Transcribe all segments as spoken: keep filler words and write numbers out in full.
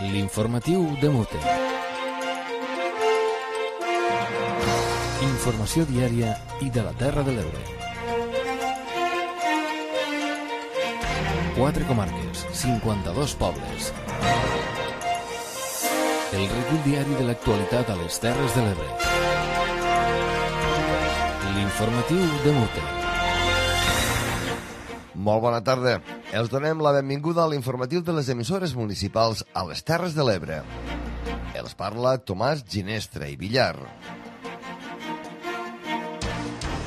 L'informatiu de Mute. Informació diària i de la Terra de l'Ebre. Quatre comarques, cinquanta-dos pobles. El recull diari de l'actualitat a les Terres de l'Ebre. L'informatiu de Mute. Molt bona tarda. Els donem la benvinguda a l'informatiu de les emissores municipals a les Terres de l'Ebre. Els parla Tomàs Ginestra i Villar.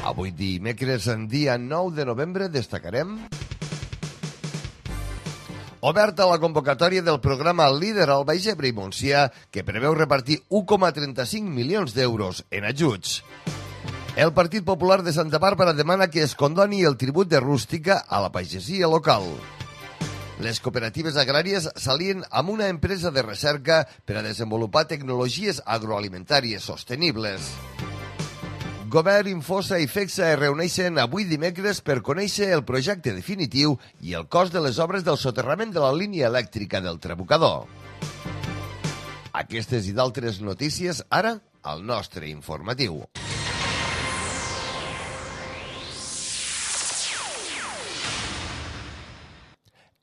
Avui dimecres, en dia nou de novembre, destacarem oberta la convocatòria del programa Líder al Baix Ebre i Montsià, que preveu repartir un coma trenta-cinc milions d'euros en ajuts. El Partit Popular de Santa Bàrbara demana que es condoni el tribut de rústica a la pagesia local. Les cooperatives agràries s'alien amb una empresa de recerca per a desenvolupar tecnologies agroalimentàries sostenibles. Govern, Infosa i FECSA es reuneixen avui dimecres per conèixer el projecte definitiu i el cost de les obres del soterrament de la línia elèctrica del Trabucador. Aquestes i d'altres notícies ara al nostre informatiu.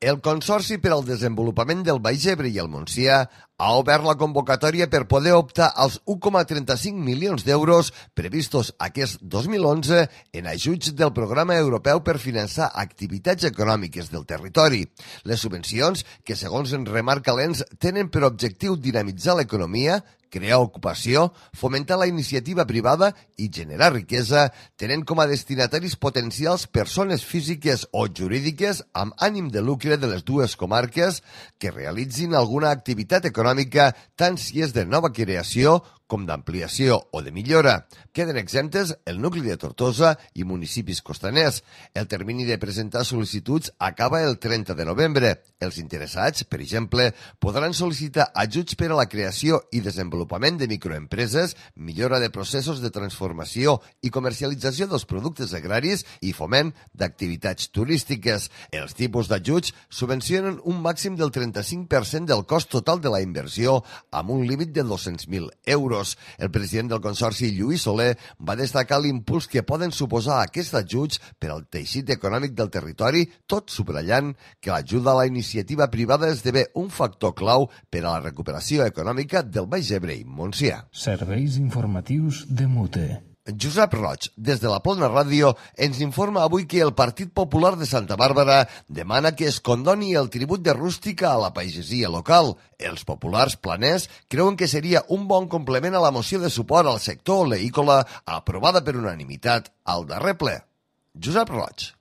El Consorci per al Desenvolupament del Baix Ebre i el Montsià ha obert la convocatòria per poder optar als un coma trenta-cinc milions d'euros previstos aquest dos mil onze en ajuts del Programa Europeu per finançar activitats econòmiques del territori. Les subvencions, que segons en remarca l'Ens, tenen per objectiu dinamitzar l'economia, crear ocupació, fomentar la iniciativa privada i generar riquesa, tenint com a destinataris potencials persones físiques o jurídiques amb ànim de lucre de les dues comarques que realitzin alguna activitat econòmica, tant si és de nova creació com d'ampliació o de millora. Queden exemptes el nucli de Tortosa i municipis costaners. El termini de presentar sol·licituds acaba el trenta de novembre. Els interessats, per exemple, podran sol·licitar ajuts per a la creació i desenvolupament de microempreses, millora de processos de transformació i comercialització dels productes agraris i foment d'activitats turístiques. Els tipus d'ajuts subvencionen un màxim del trenta-cinc per cent del cost total de la inversió amb un límit de dos-cents mil euros. El president del Consorci, Lluís Soler, va destacar l'impuls que poden suposar aquests ajuts per al teixit econòmic del territori, tot subratllant que l'ajuda a la iniciativa privada esdevé un factor clau per a la recuperació econòmica del Baix Ebre i Montsià. Serveis informatius de Mute. Josep Roig, des de la Plana Ràdio, ens informa avui que el Partit Popular de Santa Bàrbara demana que es condoni el tribut de rústica a la pagesia local. Els populars planers creuen que seria un bon complement a la moció de suport al sector oleícola aprovada per unanimitat al darrer ple. Josep Roig.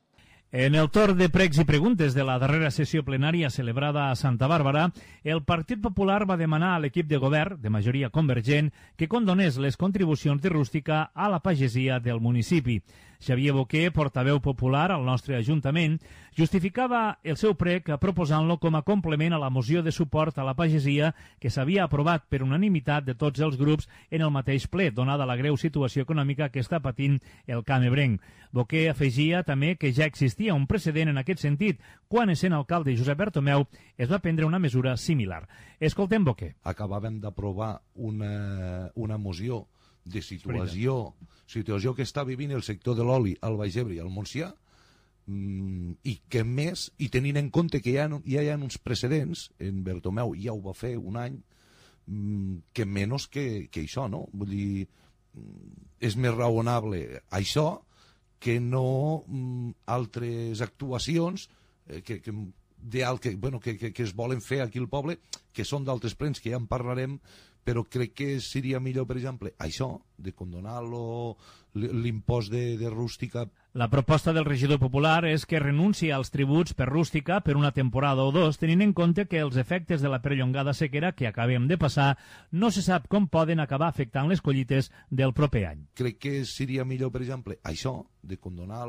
En el torn de pregs i preguntes de la darrera sessió plenària celebrada a Santa Bàrbara, el Partit Popular va demanar a l'equip de govern, de majoria convergent, que condonés les contribucions de rústica a la pagesia del municipi. Xavier Boquer, portaveu popular al nostre Ajuntament, justificava el seu prec proposant-lo com a complement a la moció de suport a la pagesia que s'havia aprovat per unanimitat de tots els grups en el mateix ple, donada la greu situació econòmica que està patint el camp ebrenc. Boquer afegia també que ja existia un precedent en aquest sentit quan, essent alcalde Josep Bertomeu, es va prendre una mesura similar. Escoltem Boquer. Acabàvem d'aprovar una, una moció de situació, situació que està vivint el sector de l'oli al Baix Ebre i al Montsià, mmm, i que més, i tenint en compte que ja, ja hi ha uns precedents, en Bertomeu ja ho va fer un any, mmm, que menys que, que això, no? Vull dir, és més raonable això que no mmm, altres actuacions eh, que, que, que, bueno, que, que, que es volen fer aquí al poble, que són d'altres plens, que ja en parlarem, però crec que seria millor, per exemple, això, de condonar l'impost de, de rústica. La proposta del regidor popular és que renunci als tributs per rústica per una temporada o dos, tenint en compte que els efectes de la perllongada sequera que acabem de passar no se sap com poden acabar afectant les collites del proper any. Crec que seria millor, per exemple, això, de condonar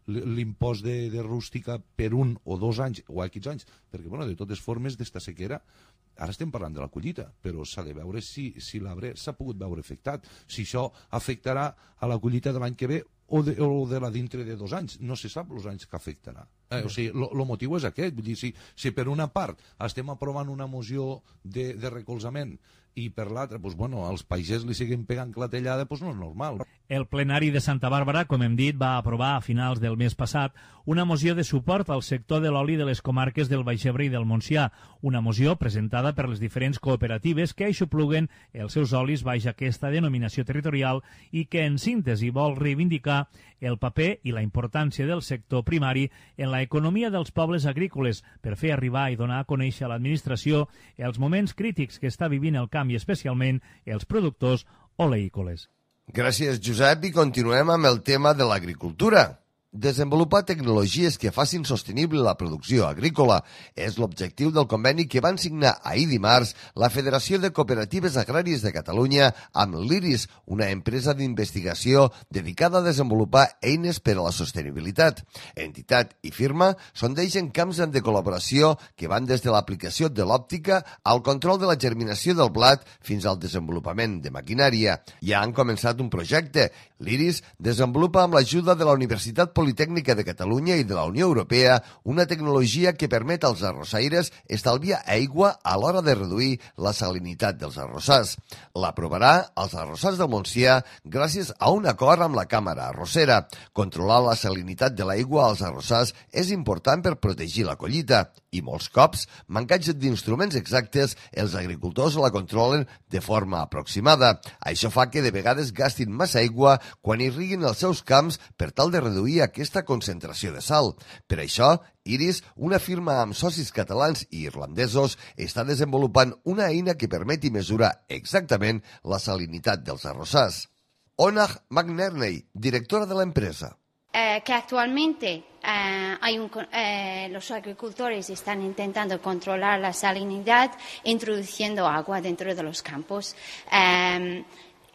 l'impost de, de rústica per un o dos anys, o aquests anys, perquè, bueno, de totes formes, d'esta sequera, ara estem parlant de la collita, però s'ha de veure si, si l'arbre s'ha pogut veure afectat, si això afectarà a la collita de l'any que ve o de, o de la dintre de dos anys. No se sap els anys que afectarà. Eh, o sigui, el motiu és aquest. Vull dir, si, si per una part estem aprovant una moció de, de recolzament i per l'altra, doncs, bueno, als paisers li siguen pegant clatellada, doncs no és normal. El plenari de Santa Bàrbara, com hem dit, va aprovar a finals del mes passat una moció de suport al sector de l'oli de les comarques del Baix Ebre i del Montsià, una moció presentada per les diferents cooperatives que aixopluguen els seus olis baix aquesta denominació territorial i que, en síntesi, vol reivindicar el paper i la importància del sector primari en la economia dels pobles agrícoles per fer arribar i donar a conèixer a l'administració els moments crítics que està vivint el camp i especialment els productors oleícoles. Gràcies, Josep, i continuem amb el tema de l'agricultura. Desenvolupar tecnologies que facin sostenible la producció agrícola és l'objectiu del conveni que van signar ahir dimarts la Federació de Cooperatives Agràries de Catalunya amb l'IRIS, una empresa d'investigació dedicada a desenvolupar eines per a la sostenibilitat. Entitat i firma sondegen camps de col·laboració que van des de l'aplicació de l'òptica al control de la germinació del blat fins al desenvolupament de maquinària. Ja han començat un projecte. L'IRIS desenvolupa amb l'ajuda de la Universitat Politècnica de Catalunya i de la Unió Europea una tecnologia que permet als arrossaires estalviar aigua a l'hora de reduir la salinitat dels arrossars. L'aprovarà als arrossars del Montsià gràcies a un acord amb la Càmera Arrossera. Controlar la salinitat de l'aigua als arrossars és important per protegir la collita i molts cops, mancats d'instruments exactes, els agricultors la controlen de forma aproximada. Això fa que de vegades gastin massa aigua quan irriguin els seus camps per tal de reduir aquesta concentració de sal. Per això, IRIS, una firma amb socis catalans i irlandesos, està desenvolupant una eina que permeti mesurar exactament la salinitat dels arrossars. Onag McNerney, directora de la empresa. Eh, que actualmente eh, hay un, eh, los agricultores están intentando controlar la salinidad introduciendo agua dentro de los campos. Eh,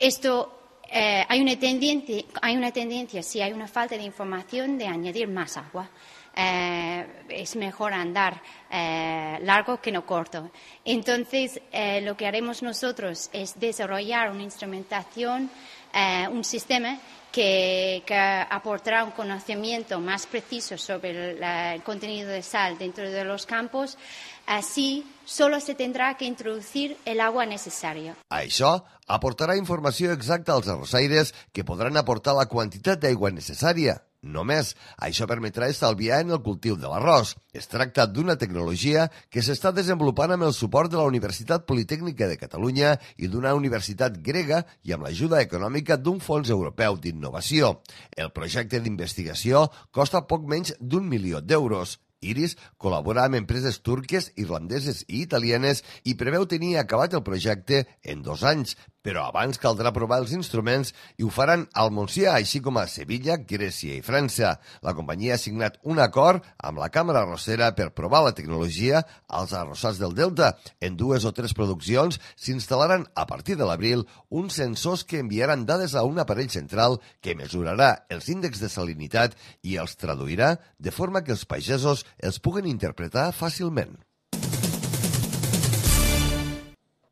esto eh, hay una tendencia, hay una tendencia, si hay una falta de información, de añadir más agua. Eh, es mejor andar eh, largo que no corto. Entonces, eh, lo que haremos nosotros es desarrollar una instrumentación, eh, un sistema Que, que aportará un conocimiento más preciso sobre el, el contenido de sal dentro de los campos. Así, solo se tendrá que introducir el agua necesaria. Això aportarà informació exacta als arrossaires que podran aportar la quantitat d'aigua necessària. Només això permetrà estalviar en el cultiu de l'arròs. Es tracta d'una tecnologia que s'està desenvolupant amb el suport de la Universitat Politècnica de Catalunya i d'una universitat grega i amb l'ajuda econòmica d'un fons europeu d'innovació. El projecte d'investigació costa poc menys d'un milió d'euros. IRIS col·labora amb empreses turques, irlandeses i italianes i preveu tenir acabat el projecte en dos anys, però abans caldrà provar els instruments i ho faran al Montsià, així com a Sevilla, Grècia i França. La companyia ha signat un acord amb la Càmera Arrossera per provar la tecnologia als arrossars del Delta. En dues o tres produccions s'instal·laran a partir de l'abril uns sensors que enviaran dades a un aparell central que mesurarà els índexs de salinitat i els traduirà de forma que els pagesos els puguen interpretar fàcilment.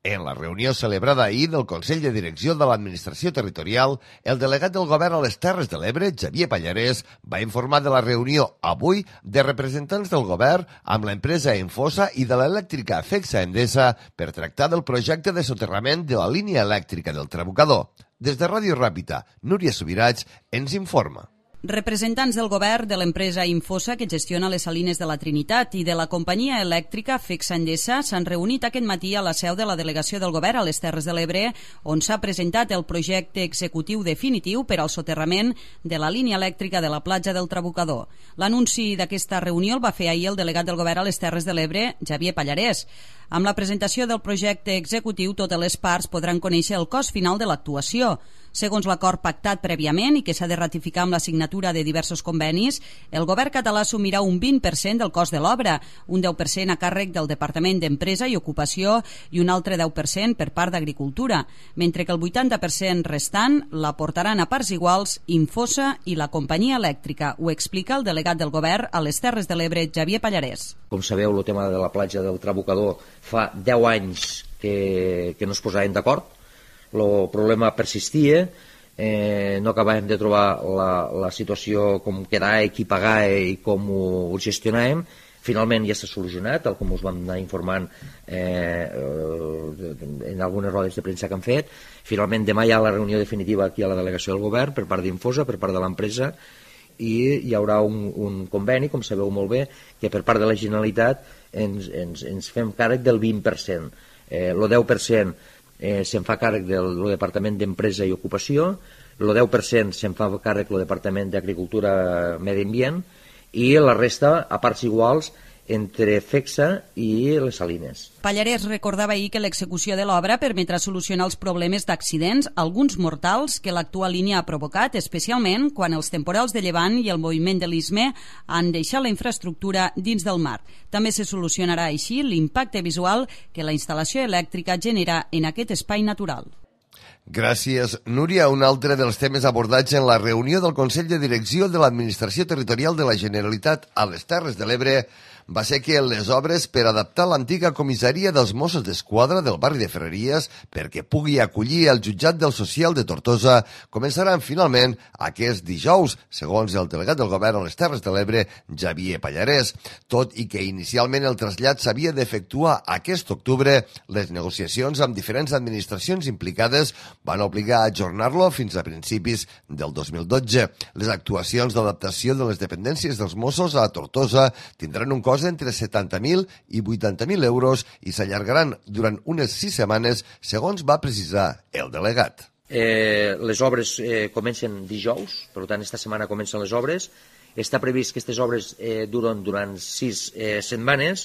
En la reunió celebrada ahir del Consell de Direcció de l'Administració Territorial, el delegat del Govern a les Terres de l'Ebre, Xavier Pallarès, va informar de la reunió avui de representants del Govern amb l'empresa Enfosa i de l'elèctrica Fexa Endesa per tractar del projecte de soterrament de la línia elèctrica del Trabucador. Des de Ràdio Ràpita, Núria Subirats ens informa. Representants del govern, de l'empresa Infosa, que gestiona les salines de la Trinitat, i de la companyia elèctrica Fexa Endesa s'han reunit aquest matí a la seu de la delegació del govern a les Terres de l'Ebre, on s'ha presentat el projecte executiu definitiu per al soterrament de la línia elèctrica de la platja del Trabucador. L'anunci d'aquesta reunió el va fer ahir el delegat del govern a les Terres de l'Ebre, Xavier Pallarès. Amb la presentació del projecte executiu, totes les parts podran conèixer el cost final de l'actuació. Segons l'acord pactat prèviament i que s'ha de ratificar amb la signatura de diversos convenis, el govern català assumirà un vint per cent del cost de l'obra, un deu per cent a càrrec del Departament d'Empresa i Ocupació i un altre deu per cent per part d'Agricultura, mentre que el vuitanta per cent restant l'aportaran a parts iguals Infosa i la companyia elèctrica. Ho explica el delegat del govern a les Terres de l'Ebre, Xavier Pallarès. Com sabeu, el tema de la platja del Trabucador fa deu anys que, que no es posaven d'acord. El problema persistia eh, no acabàvem de trobar la, la situació com quedar, qui pagar i com ho, ho gestionàvem. Finalment ja s'ha solucionat, tal com us vam anar informant eh, en algunes rodes de premsa que han fet. Finalment demà hi ha la reunió definitiva aquí a la delegació del govern per part d'Infosa, per part de l'empresa, i hi haurà un, un conveni, com sabeu molt bé, que per part de la Generalitat ens, ens, ens fem càrrec del vint per cent. Eh, el deu per cent eh, se'n fa càrrec del, del Departament d'Empresa i Ocupació, el deu per cent se'n fa càrrec del Departament d'Agricultura i Medi Ambient, i la resta a parts iguals entre FECSA i les Salines. Pallarès recordava ahir que l'execució de l'obra permetrà solucionar els problemes d'accidents, alguns mortals, que l'actual línia ha provocat, especialment quan els temporals de llevant i el moviment de l'Istme han deixat la infraestructura dins del mar. També se solucionarà així l'impacte visual que la instal·lació elèctrica genera en aquest espai natural. Gràcies, Núria. Un altre dels temes abordats en la reunió del Consell de Direcció de l'Administració Territorial de la Generalitat a les Terres de l'Ebre va ser que les obres per adaptar l'antiga comissaria dels Mossos d'Esquadra del barri de Ferreries perquè pugui acollir el jutjat del social de Tortosa començaran finalment aquest dijous, segons el delegat del govern a les Terres de l'Ebre, Xavier Pallarès. Tot i que inicialment el trasllat s'havia d'efectuar aquest octubre, les negociacions amb diferents administracions implicades van obligar a ajornar-lo fins a principis del dos mil dotze. Les actuacions d'adaptació de les dependències dels Mossos a Tortosa tindran un cost entre setanta mil i vuitanta mil euros i s'allargaran durant unes sis setmanes, segons va precisar el delegat. Eh, les obres eh, comencen dijous, per tant, esta setmana comencen les obres. Està previst que aquestes obres eh, duren durant sis eh, setmanes.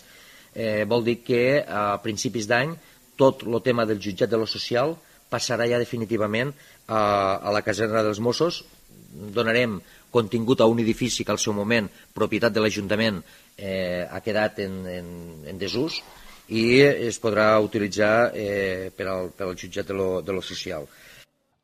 Eh, vol dir que a principis d'any tot el tema del jutjat de lo social passarà ja definitivament a, a la caserna dels Mossos. Donarem contingut a un edifici que al seu moment, propietat de l'Ajuntament, eh, ha quedat en, en, en desús i es podrà utilitzar eh, per, al, per al jutjat de lo, de lo social.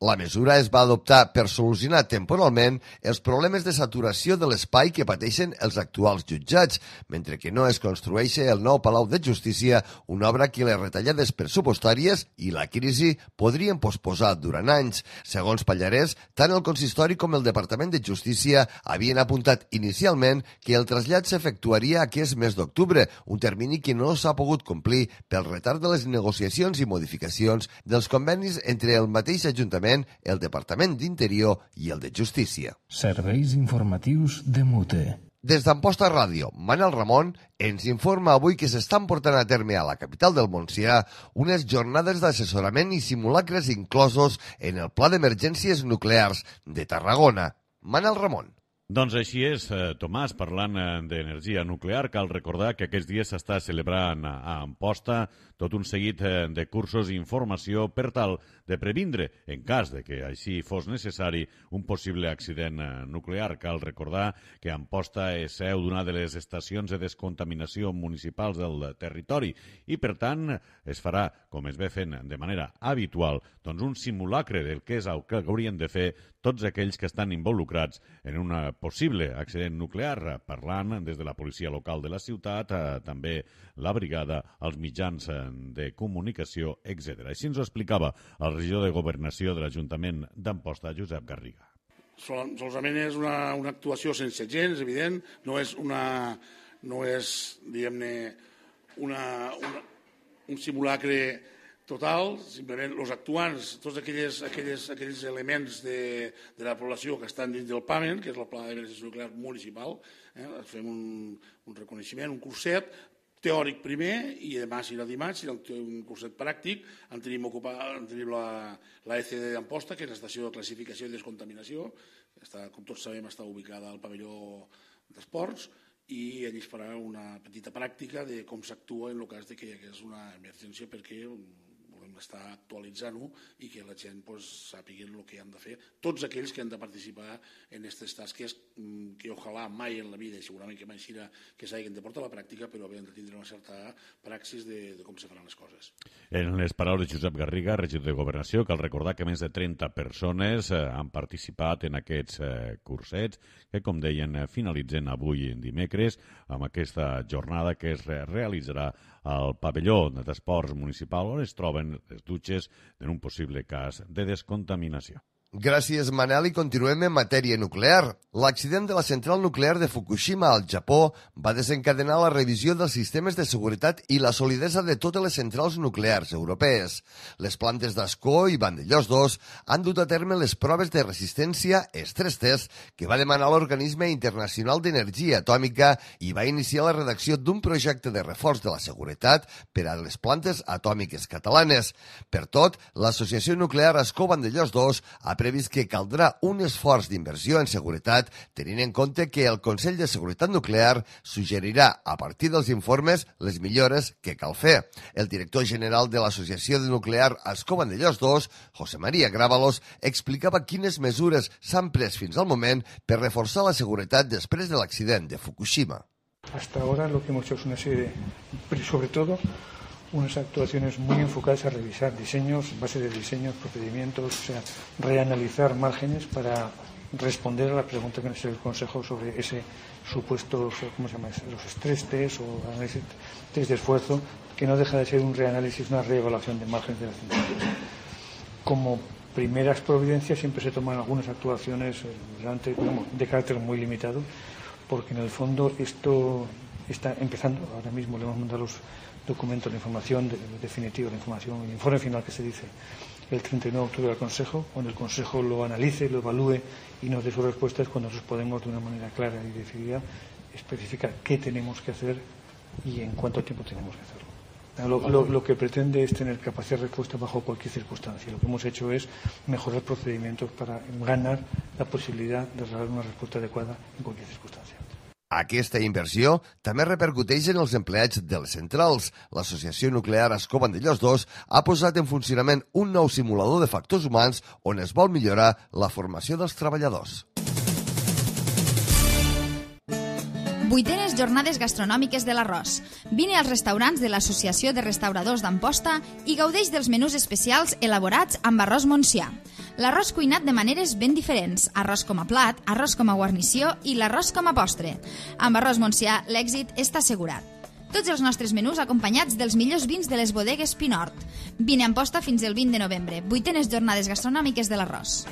La mesura es va adoptar per solucionar temporalment els problemes de saturació de l'espai que pateixen els actuals jutjats, mentre que no es construeix el nou Palau de Justícia, una obra que les retallades pressupostàries i la crisi podrien posposar durant anys. Segons Pallarès, tant el consistori com el Departament de Justícia havien apuntat inicialment que el trasllat s'efectuaria aquest mes d'octubre, un termini que no s'ha pogut complir pel retard de les negociacions i modificacions dels convenis entre el mateix Ajuntament, el Departament d'Interior i el de Justícia. Serveis informatius de Mute. Des d'Amposta Ràdio, Manel Ramon ens informa avui que s'estan portant a terme a la capital del Montsià unes jornades d'assessorament i simulacres inclosos en el Pla d'Emergències Nuclears de Tarragona. Manel Ramon. Doncs així és, eh, Tomàs, parlant eh, d'energia nuclear, cal recordar que aquests dies s'està celebrant a Amposta tot un seguit eh, de cursos i informació per tal de previndre, en cas de que així fos necessari, un possible accident eh, nuclear. Cal recordar que Amposta és seu d'una de les estacions de descontaminació municipals del territori i, per tant, es farà, com es ve fent de manera habitual, doncs un simulacre del que és el que haurien de fer tots aquells que estan involucrats en un possible accident nuclear, parlant des de la policia local de la ciutat, eh, també la brigada, els mitjans de comunicació, etcètera. Així ens ho explicava el regidor de Governació de l'Ajuntament d'Amposta, Josep Garriga. Sol, solament és una, una actuació sense gens, evident, no és una, no és, diguem-ne, una, una, un simulacre total, simplement els actuants, tots aquells, aquells, aquells elements de, de la població que estan dins del PAMEN, que és el Pla d'Emergència Nuclear Municipal, eh, fem un, un reconeixement, un curset teòric primer, i demà serà dimarts, serà un curset pràctic. En tenim, ocupat, en tenim la, la E C D d'Amposta, que és l'estació de classificació i descontaminació, està, com tots sabem, està ubicada al pavelló d'esports, i allí es farà una petita pràctica de com s'actua en el cas de que hi hagués una emergència, perquè volem estar actualitzant-ho i que la gent pues, sàpiguen el que han de fer. Tots aquells que han de participar en aquestes tasques que ojalà mai en la vida, i segurament que mai serà que s'hagin de portar a la pràctica, però havien de tindre una certa praxis de, de com se faran les coses. En les paraules de Josep Garriga, regidor de Governació, cal recordar que més de trenta persones eh, han participat en aquests eh, cursets que, com deien, eh, finalitzen avui dimecres amb aquesta jornada que es re realitzarà al pavelló d'esports municipal on es troben les dutxes en un possible cas de descontaminació. Gràcies, Manel, i continuem en matèria nuclear. L'accident de la central nuclear de Fukushima al Japó va desencadenar la revisió dels sistemes de seguretat i la solidesa de totes les centrals nuclears europees. Les plantes d'Ascó i Vandellós dos han dut a terme les proves de resistència Stress Test que va demanar l'Organisme Internacional d'Energia Atòmica i va iniciar la redacció d'un projecte de reforç de la seguretat per a les plantes atòmiques catalanes. Per tot, l'Associació Nuclear Ascó-Vandellós dos ha previst que caldrà un esforç d'inversió en seguretat, tenint en compte que el Consell de Seguretat Nuclear suggerirà, a partir dels informes, les millores que cal fer. El director general de l'Associació de Nuclear Ascó-Vandellós dos, José María Grábalos, explicava quines mesures s'han pres fins al moment per reforçar la seguretat després de l'accident de Fukushima. Hasta ahora lo que hemos hecho es una serie de, sobre todo, unas actuaciones muy enfocadas a revisar diseños, base de diseños, procedimientos, o sea, reanalizar márgenes para responder a la pregunta que nos hizo el Consejo sobre ese supuesto, ¿cómo se llama? Los estrés test o análisis test de esfuerzo, que no deja de ser un reanálisis, una reevaluación de márgenes de la central. Como primeras providencias siempre se toman algunas actuaciones digamos, de carácter muy limitado, porque en el fondo esto está empezando, ahora mismo le hemos mandado los documentos de información de, definitiva, la información, el informe final que se dice el treinta y nueve de octubre al Consejo, cuando el Consejo lo analice, lo evalúe y nos dé sus respuestas, cuando nosotros podemos de una manera clara y decidida especificar qué tenemos que hacer y en cuánto tiempo tenemos que hacerlo. Lo, lo, lo que pretende es tener capacidad de respuesta bajo cualquier circunstancia. Lo que hemos hecho es mejorar procedimientos para ganar la posibilidad de dar una respuesta adecuada en cualquier circunstancia. Aquesta inversió també repercuteix en els empleats de les centrals. L'Associació Nuclear Ascó-Vandellós dos ha posat en funcionament un nou simulador de factors humans on es vol millorar la formació dels treballadors. Vuitenes jornades gastronòmiques de l'arròs. Vine als restaurants de l'Associació de Restauradors d'Amposta i gaudeix dels menús especials elaborats amb arròs Montsià. L'arròs cuinat de maneres ben diferents, arròs com a plat, arròs com a guarnició i l'arròs com a postre. Amb arròs Montsià l'èxit està assegurat. Tots els nostres menús acompanyats dels millors vins de les bodegues Pinort. Vine a Amposta fins el vint de novembre. Vuitenes jornades gastronòmiques de l'arròs.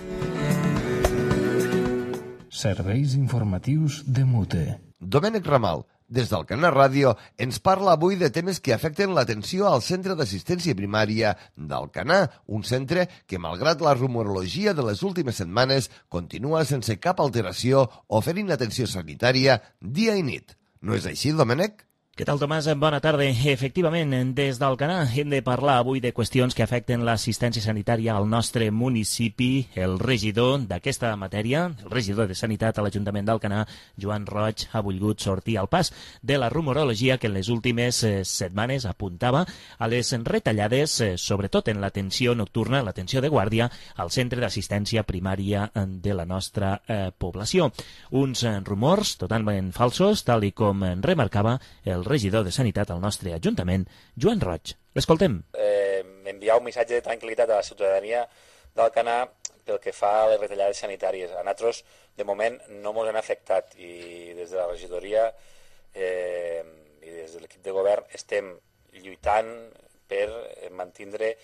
Serveis informatius de Mute. Domènec Ramal, des del Canà Ràdio, ens parla avui de temes que afecten l'atenció al Centre d'Assistència Primària d'Alcanar, un centre que, malgrat la rumorologia de les últimes setmanes, continua sense cap alteració oferint atenció sanitària dia i nit. No és així, Domènec? Què tal, Tomàs? Bona tarda. Efectivament, des d'Alcanar hem de parlar avui de qüestions que afecten l'assistència sanitària al nostre municipi. El regidor d'aquesta matèria, el regidor de Sanitat a l'Ajuntament d'Alcanar, Joan Roig, ha volgut sortir al pas de la rumorologia que en les últimes eh, setmanes apuntava a les retallades, eh, sobretot en l'atenció nocturna, l'atenció de guàrdia, al centre d'assistència primària de la nostra eh, població. Uns eh, rumors totalment falsos, tal i com remarcava el regidor de Sanitat al nostre Ajuntament, Joan Roig. L'escoltem. Eh, enviar un missatge de tranquil·litat a la ciutadania d'Alcanar pel que fa a les retallades sanitàries. A nosaltres, de moment, no ens han afectat i des de la regidoria eh, i des de l'equip de govern estem lluitant per mantindre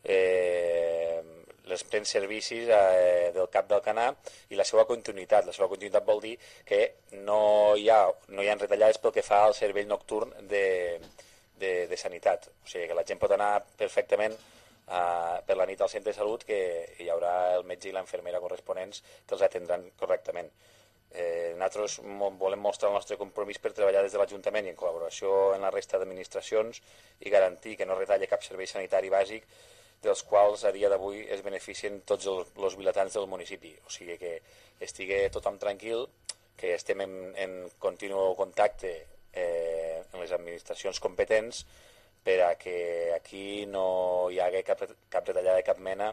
eh, els plens servicis eh, del cap d'Alcanar i la seva continuïtat. La seva continuïtat vol dir que no hi ha, no hi ha retallades pel que fa al servei nocturn de, de, de sanitat. O sigui que la gent pot anar perfectament eh, per la nit al centre de salut, que hi haurà el metge i l'infermera corresponents que els atendran correctament. Eh, nosaltres volem mostrar el nostre compromís per treballar des de l'Ajuntament i en col·laboració amb la resta d'administracions i garantir que no retalle cap servei sanitari bàsic dels quals a dia d'avui es beneficien tots els, els vilatans del municipi. O sigui que estigui tothom tranquil, que estem en, en continu contacte eh, amb les administracions competents per a que aquí no hi hagi cap, cap retallada de cap mena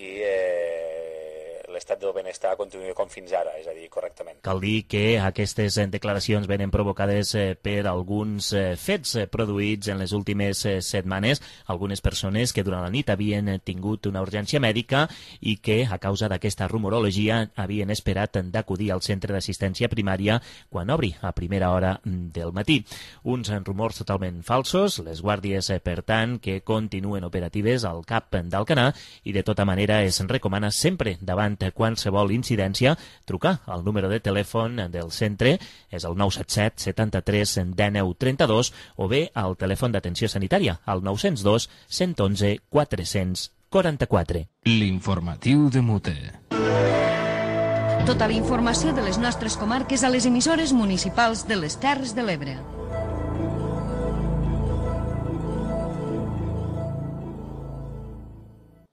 i eh, l'estat del benestar continuï com fins ara, és a dir, correctament. Cal dir que aquestes declaracions venen provocades per alguns fets produïts en les últimes setmanes. Algunes persones que durant la nit havien tingut una urgència mèdica i que, a causa d'aquesta rumorologia, havien esperat d'acudir al centre d'assistència primària quan obri a primera hora del matí. Uns rumors totalment falsos, les guàrdies, per tant, que continuen operatives al cap d'Alcanar i de tota manera es recomana sempre davant qualsevol incidència trucar al número de telèfon del centre, és el nou set set setanta-tres dinou trenta-dos o bé al telèfon d'atenció sanitària al nou zero dos cent onze quatre-cents quaranta-quatre. L'informatiu de Mute. Tota la informació de les nostres comarques a les emissores municipals de les Terres de l'Ebre.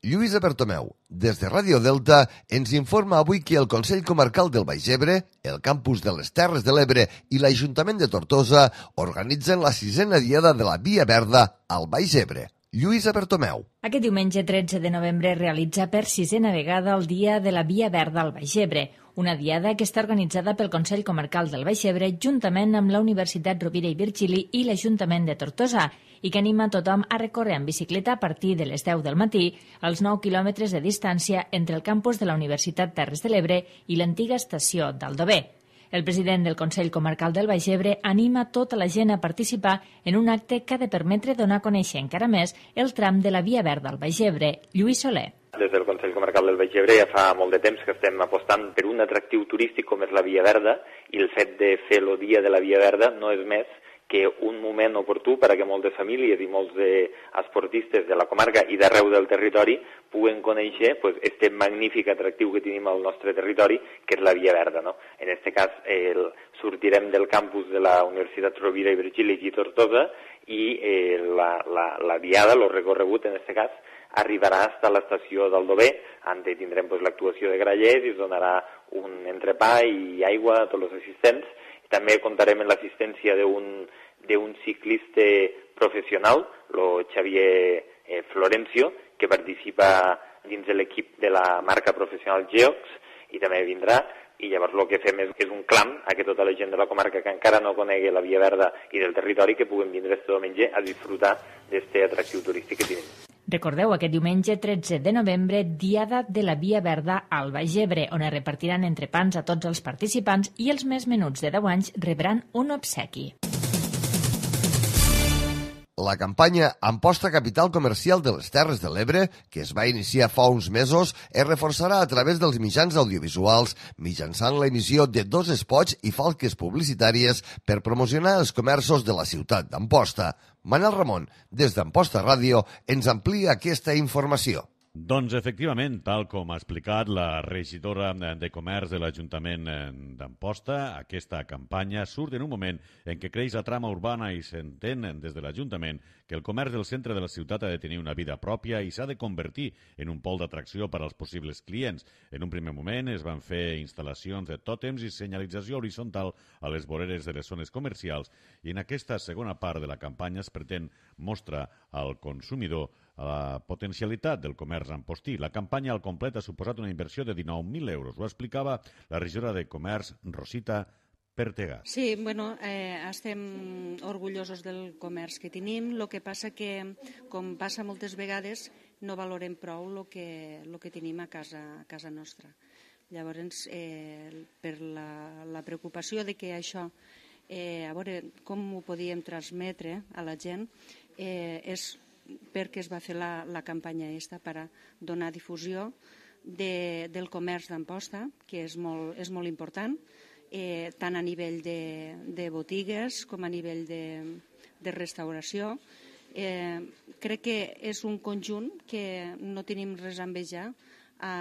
Lluïsa Bertomeu, des de Ràdio Delta, ens informa avui que el Consell Comarcal del Baix Ebre, el Campus de les Terres de l'Ebre i l'Ajuntament de Tortosa organitzen la sisena diada de la Via Verda al Baix Ebre. Lluïsa Bertomeu. Aquest diumenge tretze de novembre es realitza per sisena vegada el Dia de la Via Verda al Baix Ebre, una diada que està organitzada pel Consell Comarcal del Baix Ebre juntament amb la Universitat Rovira i Virgili i l'Ajuntament de Tortosa i que anima tothom a recórrer en bicicleta a partir de les deu del matí als nou quilòmetres de distància entre el campus de la Universitat Terres de l'Ebre i l'antiga estació d'Aldover. El president del Consell Comarcal del Baix Ebre anima tota la gent a participar en un acte que ha de permetre donar a conèixer encara més el tram de la Via Verda al Baix Ebre. Lluís Soler. Des del Consell Comarcal del Baix Ebre ja fa molt de temps que estem apostant per un atractiu turístic com és la Via Verda i el fet de fer el dia de la Via Verda no és més que un moment oportú per a que moltes famílies i molts esportistes de la comarca i d'arreu del territori puguen conèixer pues, este magnífic atractiu que tenim al nostre territori, que és la Via Verda. No? En aquest cas, el, sortirem del campus de la Universitat Rovira i Virgili i Tortosa i eh, la, la, la diada, el recorregut en aquest cas, arribarà fins a l'estació d'Aldover, on tindrem pues, l'actuació de grallers i es donarà un entrepà i aigua a tots els assistents. També comptarem amb l'assistència d'un d'un ciclista professional, el Xavier eh, Florencio, que participa dins de l'equip de la marca professional Geox i també vindrà. I llavors el que fem és, és un clam a que tota la gent de la comarca que encara no conegui la Via Verda i del territori que puguen vindre este diumenge a disfrutar d'aquest atractiu turístic que tenim. Recordeu, aquest diumenge tretze de novembre, diada de la Via Verda al Baix Ebre, on es repartiran entrepans a tots els participants i els més menuts de deu anys rebran un obsequi. La campanya Amposta Capital Comercial de les Terres de l'Ebre, que es va iniciar fa uns mesos, es reforçarà a través dels mitjans audiovisuals mitjançant l'emissió de dos espots i falques publicitàries per promocionar els comerços de la ciutat d'Amposta. Manel Ramon, des d'Amposta Ràdio, ens amplia aquesta informació. Doncs, efectivament, tal com ha explicat la regidora de Comerç de l'Ajuntament d'Amposta, aquesta campanya surt en un moment en què creix la trama urbana i s'entén des de l'Ajuntament que el comerç del centre de la ciutat ha de tenir una vida pròpia i s'ha de convertir en un pol d'atracció per als possibles clients. En un primer moment es van fer instal·lacions de tòtems i senyalització horitzontal a les voreres de les zones comercials i en aquesta segona part de la campanya es pretén mostrar al consumidor a la potencialitat del comerç ampostí. La campanya al complet ha suposat una inversió de dinou mil euros. Ho explicava la regidora de Comerç, Rosita Pertegàs. Sí, bueno, eh, estem orgullosos del comerç que tenim. El que passa que, com passa moltes vegades, no valorem prou el que, lo que tenim a casa, a casa nostra. Llavors, eh, per la, la preocupació de que això, eh, a veure com ho podíem transmetre a la gent, eh, és perquè es va fer la, la campanya aquesta per a donar difusió de, del comerç d'Amposta, que és molt, és molt important, eh, tant a nivell de, de botigues com a nivell de, de restauració. Eh, crec que és un conjunt que no tenim res a envejar a,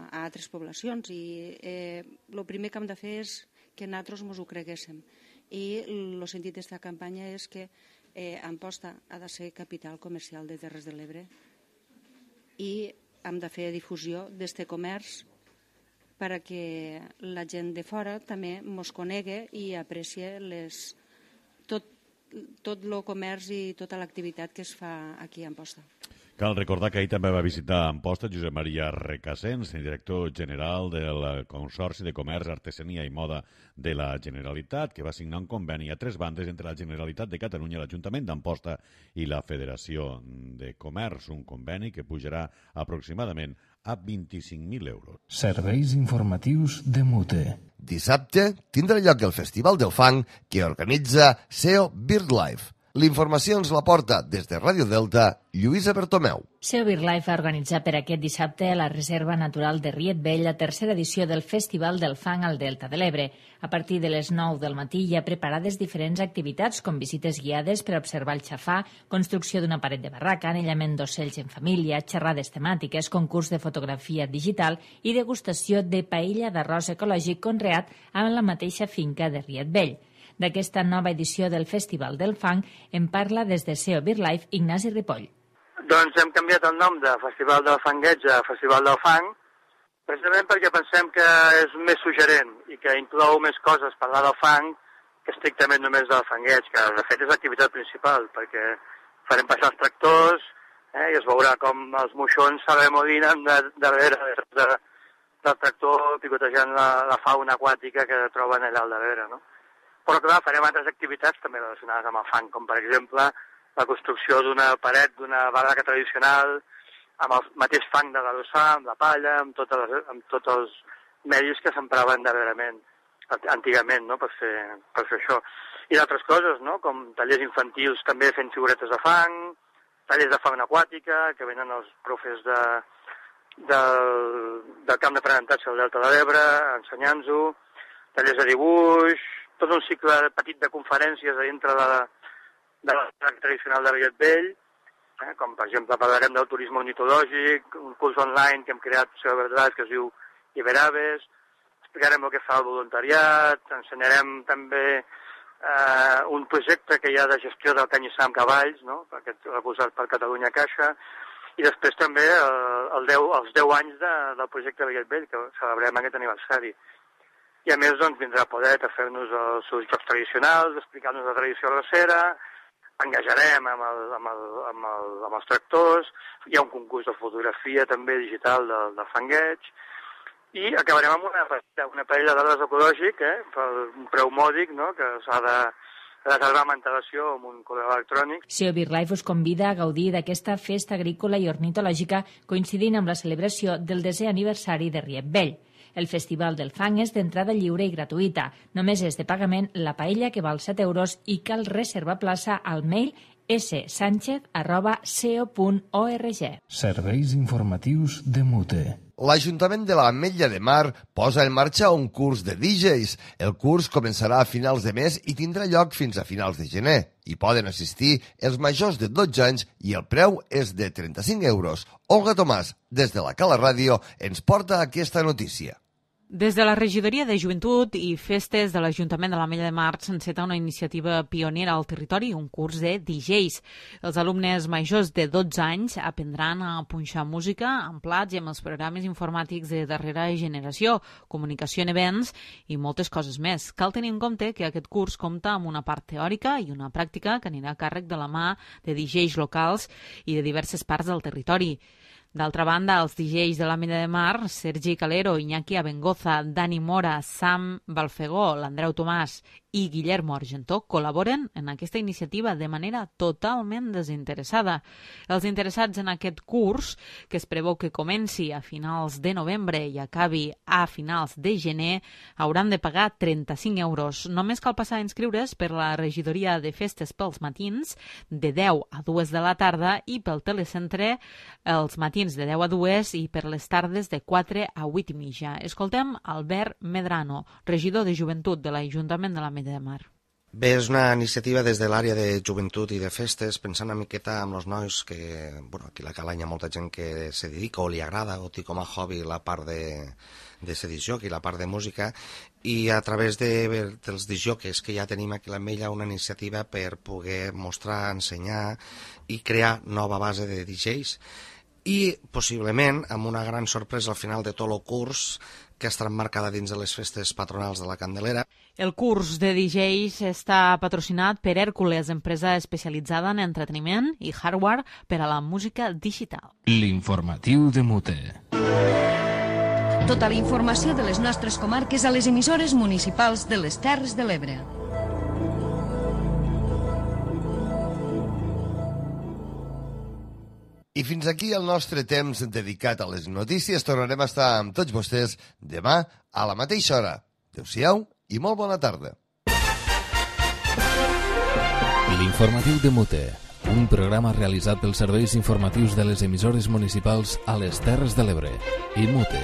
a altres poblacions i eh, el primer que hem de fer és que nosaltres ens ho creguéssim. I el sentit d'aquesta campanya és que Eh, Amposta ha de ser capital comercial de Terres de l'Ebre i hem de fer difusió d'aquest comerç perquè la gent de fora també ens conegui i aprecie les, tot, tot el comerç i tota l'activitat que es fa aquí a Amposta. Cal recordar que ahir també va visitar Amposta Josep Maria Recasens, director general del Consorci de Comerç, Artesania i Moda de la Generalitat, que va signar un conveni a tres bandes entre la Generalitat de Catalunya, l'Ajuntament d'Amposta i la Federació de Comerç, un conveni que pujarà aproximadament a vint-i-cinc mil euros. Serveis informatius de Mute. Dissabte tindrà lloc el Festival del Fang que organitza S E O BirdLife. L'informació ens la porta des de Ràdio Delta, Lluïsa Bertomeu. S E O BirdLife ha organitzat per aquest dissabte a la Reserva Natural de Riet Vell la tercera edició del Festival del Fang al Delta de l'Ebre. A partir de les nou del matí hi ha preparades diferents activitats com visites guiades per observar el xafà, construcció d'una paret de barraca, anellament d'ocells en família, xerrades temàtiques, concurs de fotografia digital i degustació de paella d'arròs ecològic conreat a la mateixa finca de Riet Vell. D'aquesta nova edició del Festival del Fang en parla des de S E O BirdLife Ignasi Ripoll. Doncs hem canviat el nom de Festival del Fangueig a Festival del Fang, precisament perquè pensem que és més suggerent i que inclou més coses parlar del fang que estrictament només del fangueig, que de fet és l'activitat principal, perquè farem passar els tractors eh, i es veurà com els moixons s'arremolinen de, darrere de, de, del tractor picotejant la, la fauna aquàtica que troben allà al darrere, no? Però clar, farem altres activitats també relacionades amb el fang, com per exemple la construcció d'una paret, d'una barraca tradicional, amb el mateix fang de l'adossar, amb la palla, amb, totes les, amb tots els medis que s'empraven darrerament, antigament, no?, per fer, per fer això. I d'altres coses, no?, com tallers infantils també fent figuretes de fang, tallers de fauna aquàtica, que venen els profes de, del, del camp d'aprenentatge del Delta de l'Ebre, ensenyant-ho, tallers de dibuix, tot un cicle petit de conferències a dintre de la, de la tradicional de Riet Vell, eh, com per exemple parlarem del turisme ornitològic, un curs online que hem creat a Verdades que es diu Iberaves, explicarem el que fa el voluntariat, ensenyarem també eh, un projecte que hi ha de gestió del canyissar amb cavalls, no?, aquest recolzat per Catalunya Caixa, i després també el, el deu, els deu anys de, del projecte Riet Vell, que celebrem aquest aniversari. I a més doncs, vindrà a poder a fer-nos els seus jocs tradicionals, explicar-nos la tradició recera, engajarem amb, el, amb, el, amb, el, amb els tractors, hi ha un concurs de fotografia també digital del, del fangueig, i acabarem amb una, una parella d'arbres ecològic, eh, per un preu mòdic, no?, que s'ha de reservar amb antelació amb un correu electrònic. S E O BirdLife us convida a gaudir d'aquesta festa agrícola i ornitològica coincidint amb la celebració del desè aniversari de Riet Vell. El Festival del Fang és d'entrada lliure i gratuïta. Només és de pagament la paella, que val set euros, i cal reservar plaça al mail s sanchez arroba seo punt org. Serveis informatius de Mute. L'Ajuntament de l'Ametlla de Mar posa en marxa un curs de D Js. El curs començarà a finals de mes i tindrà lloc fins a finals de gener. Hi poden assistir els majors de dotze anys i el preu és de trenta-cinc euros. Olga Tomàs, des de la Cala Ràdio, ens porta aquesta notícia. Des de la Regidoria de Joventut i Festes de l'Ajuntament de l'Ametlla de Mar s'enceta una iniciativa pionera al territori, un curs de D Js. Els alumnes majors de dotze anys aprendran a punxar música amb plats i amb els programes informàtics de darrera generació, comunicació en events i moltes coses més. Cal tenir en compte que aquest curs compta amb una part teòrica i una pràctica que anirà a càrrec de la mà de D Js locals i de diverses parts del territori. D'altra banda, els D Js de l'Ametlla de Mar, Sergi Calero, Iñaki Abengoza, Dani Mora, Sam Balfegó, l'Andreu Tomàs i Guillermo Argentó col·laboren en aquesta iniciativa de manera totalment desinteressada. Els interessats en aquest curs, que es preveu que comenci a finals de novembre i acabi a finals de gener, hauran de pagar trenta-cinc euros. Només cal passar a inscriure's per la regidoria de festes pels matins de deu a dues de la tarda i pel telecentre els matins de deu a dues i per les tardes de quatre a vuit i mitja. Escoltem Albert Medrano, regidor de Joventut de l'Ajuntament de l'Ametlla de Mar. Bé, és una iniciativa des de l'àrea de joventut i de festes, pensant una miqueta amb els nois que, bueno, aquí a la Cala hi ha molta gent que se dedica o li agrada o té com a hobby la part de, de ser disc jockey, la part de música, i a través de, dels disc jockeys que ja tenim aquí a l'Ametlla una iniciativa per poder mostrar, ensenyar i crear nova base de D Js. I possiblement amb una gran sorpresa al final de tot el curs que estarà emmarcada dins de les festes patronals de la Candelera. El curs de D Js està patrocinat per Hèrcules, empresa especialitzada en entreteniment i hardware per a la música digital. L'informatiu de Mute. Tota la informació de les nostres comarques a les emissores municipals de les Terres de l'Ebre. I fins aquí el nostre temps dedicat a les notícies. Tornarem a estar amb tots vostès demà a la mateixa hora. Adéu-siau i molt bona tarda. L'informatiu de Mute, un programa realitzat pels serveis informatius de les emissores municipals a les Terres de l'Ebre i Mute.